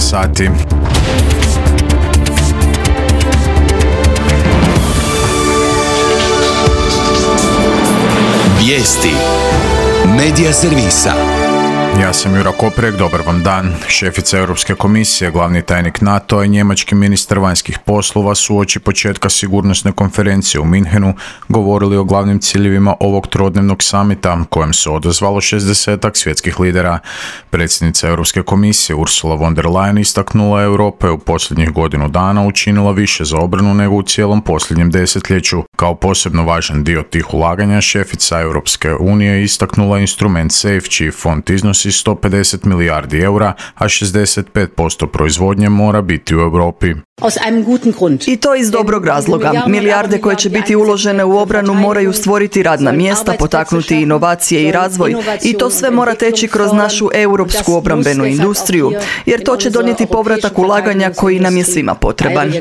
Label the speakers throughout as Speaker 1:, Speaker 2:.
Speaker 1: sati.
Speaker 2: Vijesti Medija servisa.
Speaker 1: Ja sam Jura Koprek, dobar vam dan. Šefica Europske komisije, glavni tajnik NATO-a i njemački ministar vanjskih poslova su uoči početka sigurnosne konferencije u Minhenu govorili o glavnim ciljevima ovog trodnevnog samita kojem se odazvalo 60-ak svjetskih lidera. Predsjednica Europske komisije Ursula von der Leyen istaknula Europa je u posljednjih godinu dana učinila više za obranu nego u cijelom posljednjem desetljeću. Kao posebno važan dio tih ulaganja, šefica Europske unije istaknula instrument SAFE, čiji fond iznosi 150 milijardi eura, a 65% proizvodnje mora biti u Europi.
Speaker 3: I to iz dobrog razloga. Milijarde koje će biti uložene u obranu moraju stvoriti radna mjesta, potaknuti inovacije i razvoj, i to sve mora teći kroz našu europsku obrambenu industriju, jer to će donijeti povratak ulaganja koji nam je svima potreban.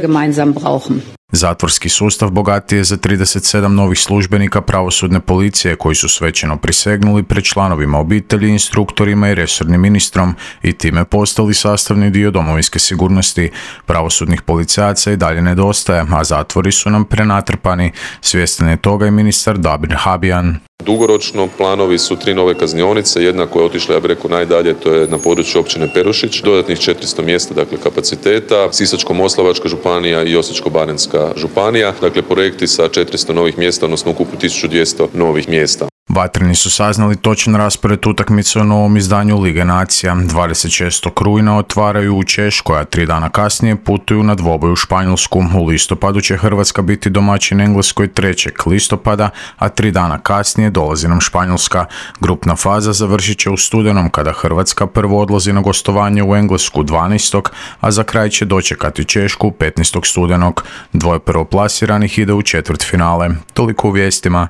Speaker 1: Zatvorski sustav bogatiji je za 37 novih službenika pravosudne policije koji su svečano prisegnuli pred članovima obitelji, instruktorima i resornim ministrom i time postali sastavni dio domovinske sigurnosti. Pravosudnih policajaca i dalje nedostaje, a zatvori su nam prenatrpani. Svjestan je toga i ministar Damir Habijan.
Speaker 4: Dugoročno planovi su 3 nove kaznionice, jedna koja je otišla, ja bih rekao, najdalje, to je na području općine Perušić, dodatnih 400 mjesta, dakle kapaciteta, Sisačko-moslavačka županija i Osječko-baranjska županija, dakle projekti sa 400 novih mjesta, odnosno ukupno 1200 novih mjesta.
Speaker 1: Vatreni su saznali točan raspored utakmice u novom izdanju Lige nacija. 26. rujna otvaraju u Češkoj, a 3 dana kasnije putuju na dvoboj u Španjolsku. U listopadu će Hrvatska biti domaćin Engleskoj 3. listopada, a 3 dana kasnije dolazi nam Španjolska. Grupna faza završit će u studenom kada Hrvatska prvo odlazi na gostovanje u Englesku 12. a za kraj će dočekati Češku 15. studenog. Dvoje prvoplasiranih ide u četvrtfinale. Toliko u vijestima.